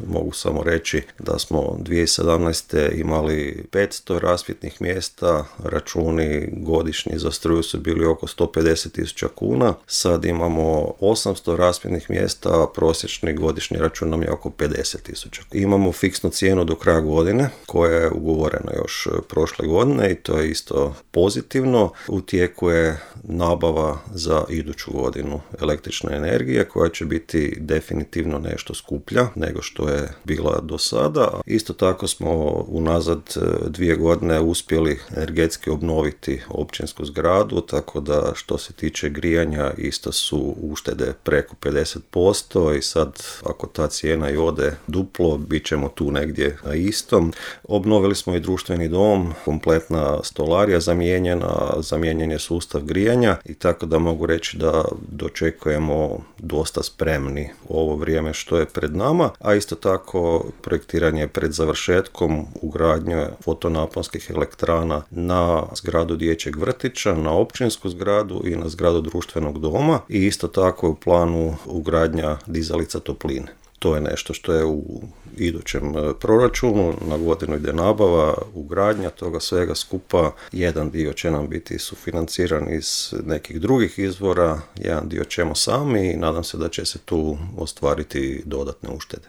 mogu samo reći da smo 2017. imali 500 rasvjetnih mjesta, računi godišnji za struju su bili oko 150.000 kuna, sad imamo 800 rasvjetnih mjesta, a prosječni godišnji račun nam je oko 50.000. Imamo fiksnu cijenu do kraja godine koja je ugovorena još prošle godine i to je isto pozitivno. U tijeku je nabava za iduću godinu električne energije koja će biti definitivno nešto skuplja nego što je bila do sada. Isto tako smo unazad 2 godine uspjeli energetski obnoviti općinsku zgradu, tako da što se tiče grijanja isto su uštede preko 50% i sad ako ta cijena i ode duplo, bit ćemo tu negdje na istom. Obnovili smo i društveni dom, kompletna stolarija zamijenjen je sustav grijanja i tako da mogu reći da dočekujemo dosta spremni ovo vrijeme što je pred nama, a isto tako projektiranje pred završetkom ugradnje fotonaponskih elektrana na zgradu dječjeg vrtića, na općinsku zgradu i na zgradu društvenog doma i isto tako je u planu ugradnja dizalica topline. To je nešto što je u idućem proračunu, na godinu ide nabava, ugradnja toga svega skupa. Jedan dio će nam biti sufinanciran iz nekih drugih izvora, jedan dio ćemo sami i nadam se da će se tu ostvariti dodatne uštede.